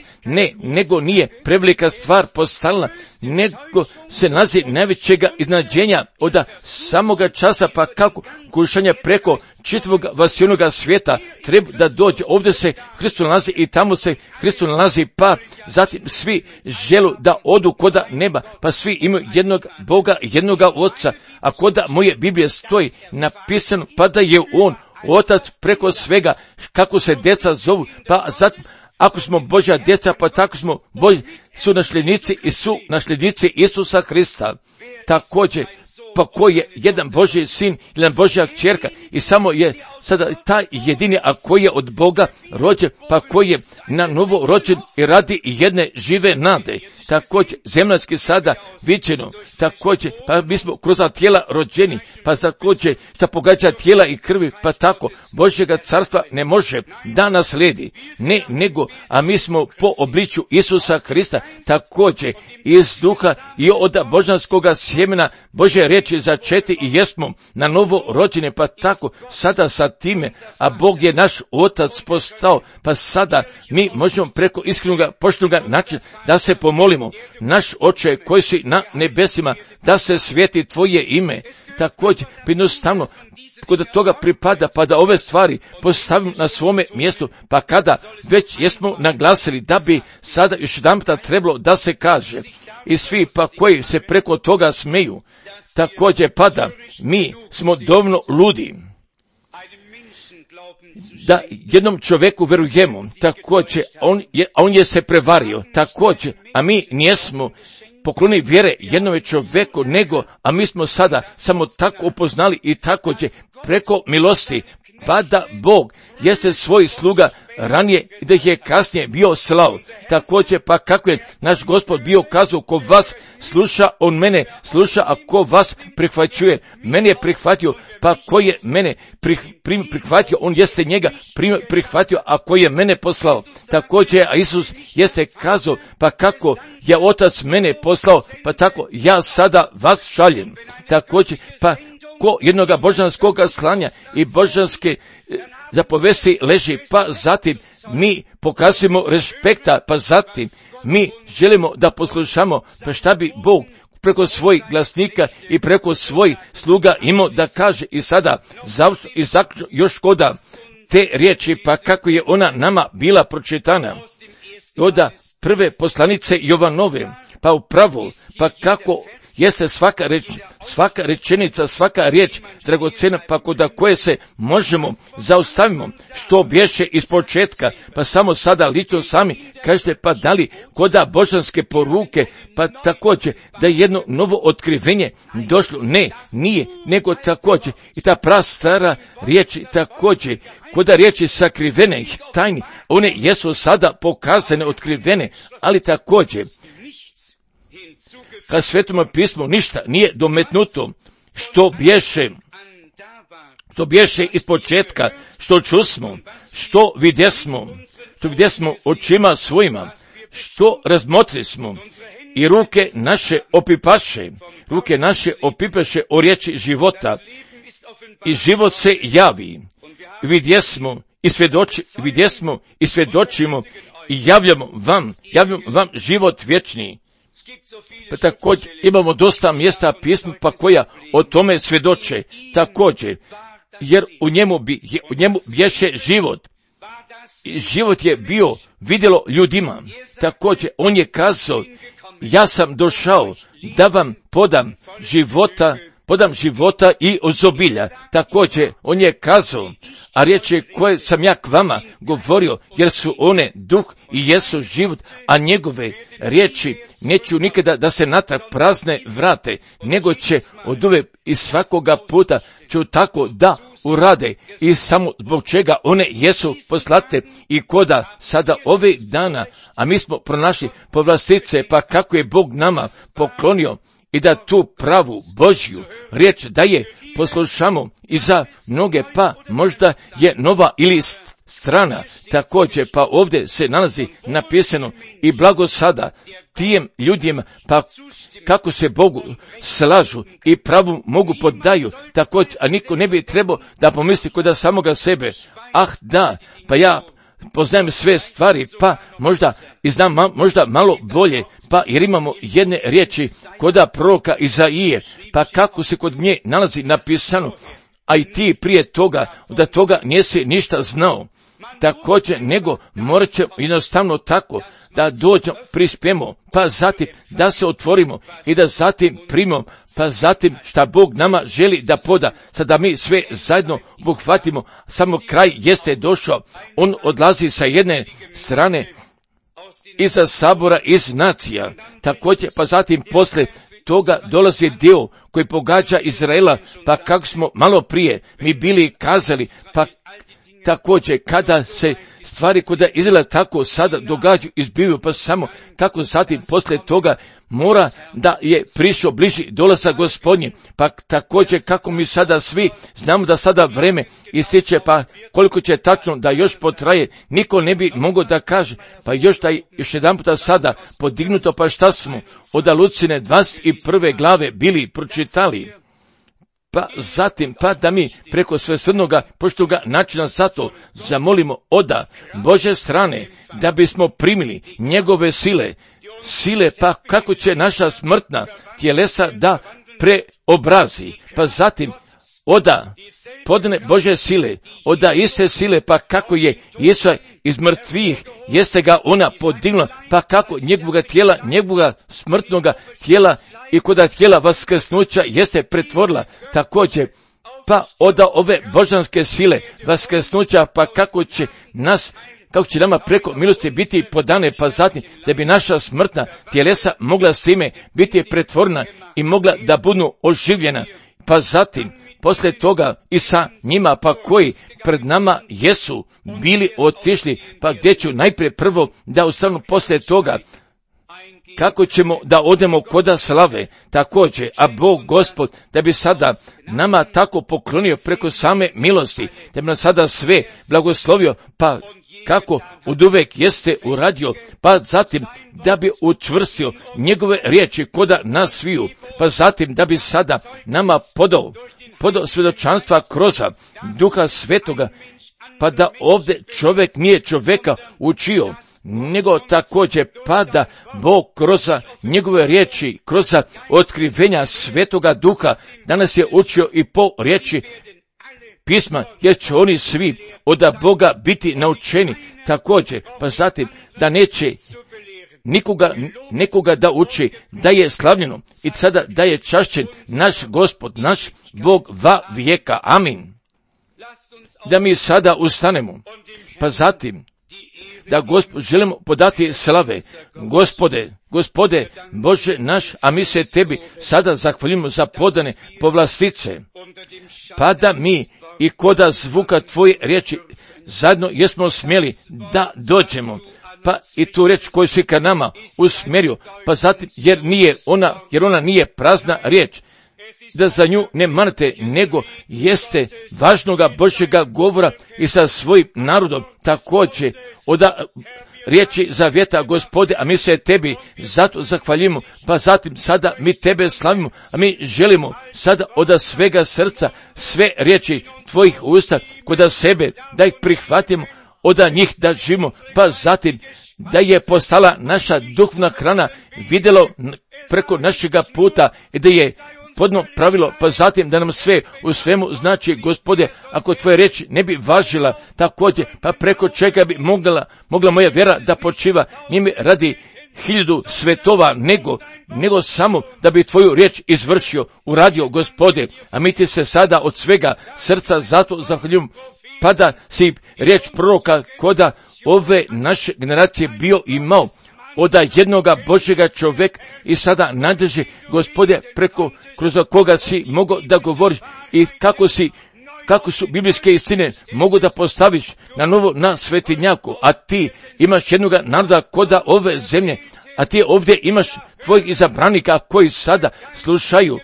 nego nije prevelika stvar postala, nego se nalazi najvećega iznenađenja od samoga časa, pa kako kušanja preko čitavog vasilnoga svijeta treba da dođe, ovdje se Hristos nalazi i tamo se Hristos nalazi, pa zatim svi želu da odu koda neba, pa svi imaju jednog Boga, jednoga Oca, a koda moje Biblije stoji napisano, pa da je on Otac preko svega, kako se djeca zovu, pa zatim, ako smo Božja djeca, pa tako smo su nasljednici Isusa Hrista. Također, pa ko je jedan Božji sin, jedan Božja kćerka i samo je sada taj jedini, a koji je od Boga rođen, pa koji je na novo rođen i radi jedne žive nade. Također, zemaljski sada viđeno, također, pa mi smo kroz tijela rođeni, pa također, šta pogađa tijela i krvi, pa tako, Božjega carstva ne može da nasledi, nego, a mi smo po obličju Isusa Hrista, također, iz duha i od božanskoga sjemena Božje riječi začeti i jesmo na novo rođene, pa tako, sada sa time, a Bog je naš Otac postao, pa sada mi možemo preko iskrenoga, poštenoga načina da se pomolimo, naš Oče koji si na nebesima, da se svijeti tvoje ime, također, jednostavno, kod toga pripada, pa da ove stvari postavimo na svome mjestu, pa kada već jesmo naglasili da bi sada još jedanputa trebalo da se kaže, i svi pa koji se preko toga smeju, također pada, mi smo dovoljno ludi da jednom čovjeku verujemo, također, on je se prevario, također, a mi nijesmo pokloni vjere jednome čovjeku, nego, a mi smo sada samo tako upoznali i također preko milosti, pa da Bog jeste svoj sluga ranije i da ih je kasnije bio slao. Također pa kako je naš Gospod bio kazao, ko vas sluša, on mene sluša, a ko vas prihvaćuje, mene je prihvatio, pa ko je mene prihvatio, on jeste njega prihvatio, a ko je mene poslao. Također, a Isus jeste kazao, pa kako je Otac mene poslao, pa tako ja sada vas šaljem. Također, pa ko jednoga božanskoga slanja i božanske zapovesti leži, pa zatim mi pokazujemo respekta, pa zatim mi želimo da poslušamo, pa šta bi Bog preko svojih glasnika i preko svojih sluga imao da kaže. I sada zaključno još koda te riječi, pa kako je ona nama bila pročitana od prve poslanice Jovanove, pa upravo, pa kako jeste svaka rečenica, svaka riječ dragocena, pa koda koje se možemo zaustavimo, što bješe iz početka, pa samo sada lično sami kažete, pa da li koda božanske poruke, pa također da je jedno novo otkrivenje došlo, ne, nije, nego također i ta prastara riječi također, koda riječi sakrivene i tajni, one jesu sada pokazane, otkrivene, ali također kad Svetome pismu ništa nije dometnuto, što bješe iz početka, što čusmo, što vidjesmo očima svojima, što razmotrismo, i ruke naše opipaše o riječi života, i život se javi, vidjesmo i svjedočimo i javljamo vam život vječni. Pa također imamo dosta mjesta pisma pa koja o tome svjedoče također, jer u njemu bješe život. I život je bio vidjelo ljudima. Također on je kazao, ja sam došao da vam podam života i ozobilja. Također on je kazao, a riječi koje sam ja k vama govorio, jer su one duh i jesu život, a njegove riječi neću nikada da se natrag prazne vrate, nego će oduvijek i svakoga puta ću tako da urade, i samo zbog čega one jesu poslate. I koda sada ovih dana, a mi smo pronašli povlastice, pa kako je Bog nama poklonio i da tu pravu Božju riječ da je poslušamo i za mnoge, pa možda je nova ili strana. Također pa ovdje se nalazi napisano, i blago sada tijem ljudima, pa kako se Bogu slažu i pravu mogu poddaju. Također, a niko ne bi trebao da pomisli kod samoga sebe, da, pa ja poznajem sve stvari, pa možda i znam možda malo bolje, pa jer imamo jedne riječi koda proroka Izaije, pa kako se kod nje nalazi napisano, a i ti prije toga, da toga nisi ništa znao. Također, nego morat ćemo jednostavno tako da dođemo, prispemo, pa zatim da se otvorimo i da zatim primimo, pa zatim šta Bog nama želi da poda, sada mi sve zajedno obuhvatimo. Samo kraj jeste došao, on odlazi sa jedne strane iza sabora, iz nacija. Također, pa zatim posle toga dolazi dio koji pogađa Izraela, pa kako smo malo prije mi bili kazali, pa također kada se stvari koja Izraela tako sada događaju, izbivaju, pa samo tako zatim posle toga mora da je prišao bliži dolazak Gospodnji. Pa također kako mi sada svi znamo da sada vreme ističe, pa koliko će tačno da još potraje, niko ne bi mogao da kaže, pa još jedan puta sada podignuto, pa šta smo od Lucine 21. glave bili pročitali. Pa zatim, pa da mi preko svesrdnoga poštoga načina zato zamolimo oda Bože strane, da bismo primili njegove sile, pa kako će naša smrtna tjelesa da preobrazi, pa zatim oda podne Bože sile, oda iste sile, pa kako je Isusa iz mrtvih, jeste ga ona podignula, pa kako njegovoga tijela, njegovoga smrtnoga tijela i koda tijela vaskrsnuća jeste pretvorila. Također, pa oda ove božanske sile vaskrsnuća, pa kako će nama preko milosti biti podane, pa zatim da bi naša smrtna tjelesa mogla s time biti pretvorena i mogla da budu oživljena, pa zatim poslije toga i sa njima, pa koji pred nama jesu bili otišli, pa gdje ću najprije prvo da ustanu poslije toga, kako ćemo da odemo koda slave također, a Bog Gospod da bi sada nama tako poklonio preko same milosti, da bi nam sada sve blagoslovio, pa kako oduvek jeste uradio, pa zatim da bi učvrstio njegove riječi koda nas sviju, pa zatim da bi sada nama podao svjedočanstva kroz Duha Svetoga, pa da ovdje čovjek nije čovjeka učio, nego također pa da Bog kroz njegove riječi, kroz otkrivenja Svetoga Duha danas je učio i po riječi pisma, jer će oni svi od Boga biti naučeni također, pa zatim da neće nekoga da uči da je slavljeno i sada da je čašćen naš Gospod, naš Bog va vijeka. Amin. Da mi sada ustanemo, pa zatim da želimo podati slave. Gospode Bože naš, a mi se tebi sada zahvaljujemo za podane povlastice, pa da mi i koda zvuka tvoje riječi zajedno jesmo smjeli da dođemo, pa i tu riječ koju si ka nama usmjerio, pa zatim jer ona nije prazna riječ, da za nju ne manete, nego jeste važnoga Božjega govora i sa svojim narodom također od riječi zavjeta, Gospode, a mi se tebi zato zahvaljujemo, pa zatim sada mi tebe slavimo, a mi želimo sada od svega srca sve riječi tvojih usta kod sebe, da ih prihvatimo, od njih da živimo, pa zatim da je postala naša duhovna hrana vidjelo preko našega puta i da je podno pravilo, pa zatim da nam sve u svemu znači, Gospode, ako tvoje riječi ne bi važila također, pa preko čega bi mogla moja vjera da počiva, njime radi 1000 svetova, nego samo da bi tvoju riječ izvršio, uradio, Gospode, a mi ti se sada od svega srca zato zahvaljujemo, pa da si riječ proroka koda ove naše generacije bio imao, od jednoga Božjega čovjeka i sada nadrži, Gospode, kroz koga si mogao da govoriš i kako su biblijske istine mogu da postaviš na novo na svetinjaku, a ti imaš jednoga naroda koda ove zemlje, a ti ovdje imaš tvojih izabranika koji sada slušaju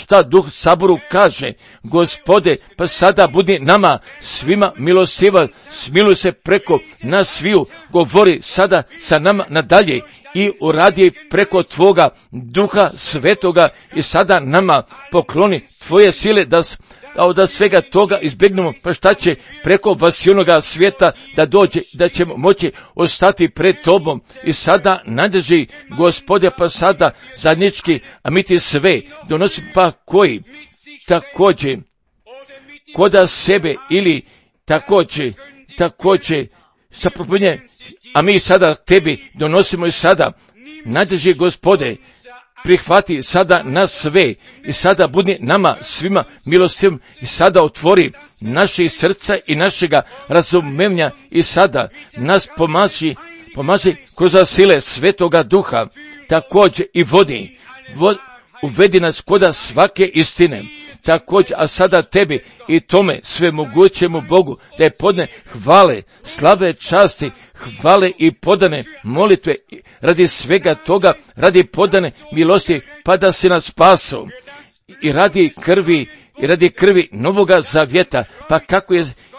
ta Duh saboru kaže, Gospode, pa sada budi nama svima milostivan, smiluj se preko nas sviju, govori sada sa nama nadalje i uradi preko tvoga Duha Svetoga i sada nama pokloni tvoje sile da svega toga izbjegnemo, pa šta će preko vasionoga svijeta da dođe, da ćemo moći ostati pred tobom i sada nadrži, Gospode, pa sada zajednički, a mi ti sve donosim, pa koji također koda sebe ili također sa propovjedanje, a mi sada tebi donosimo i sada nadrži, Gospode, prihvati sada nas sve i sada budi nama svima milostivim i sada otvori naše srca i našega razumevanja i sada nas pomaži kroz sile Svetoga Duha, također i uvedi nas koda svake istine, također, a sada tebi i tome svemogućemu Bogu da je podne hvale, slave, časti, hvale i podane molitve radi svega toga, radi podane milosti, pa da si nas spaso i radi krvi novoga zavjeta, pa kako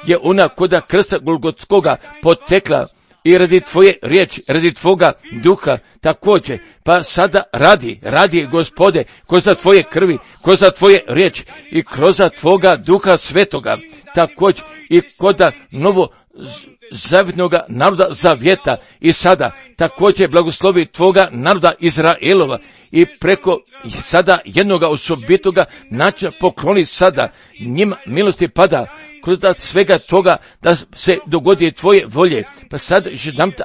je ona koda krsta Golgotskoga potekla i radi tvoje riječi, radi tvoga Duha također, pa sada radi, Gospode, kroz tvoje krvi, kroz tvoje riječi i kroz tvoga Duha Svetoga, također i koda novo zavjetnoga naroda zavjeta i sada također blagoslovi tvoga naroda Izraelova i preko sada jednoga osobitoga načina pokloni sada njima milosti pada kroz svega toga da se dogodi tvoje volje. Pa sad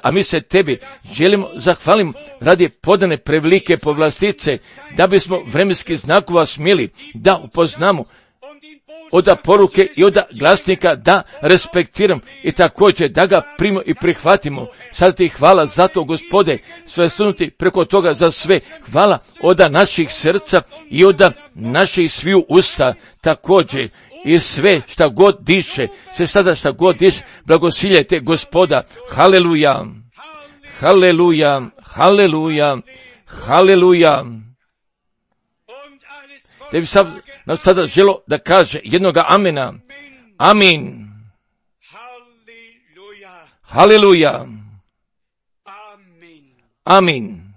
a mi se tebi želimo zahvalimo radi podane prevelike povlastice, da bismo vremenski znakova smjeli da upoznamo od poruke i od glasnika da respektiram i također da ga primimo i prihvatimo. Sad ti hvala za to, Gospode, sve sunuti preko toga za sve. Hvala od naših srca i od naših sviju usta također. I sve šta god diše, sve sada šta god diše, blagosiljajte Gospoda. Haleluja, haleluja, haleluja, haleluja. Da bi sada želo da kaže jednoga amena. Amin. Haleluja. Amin.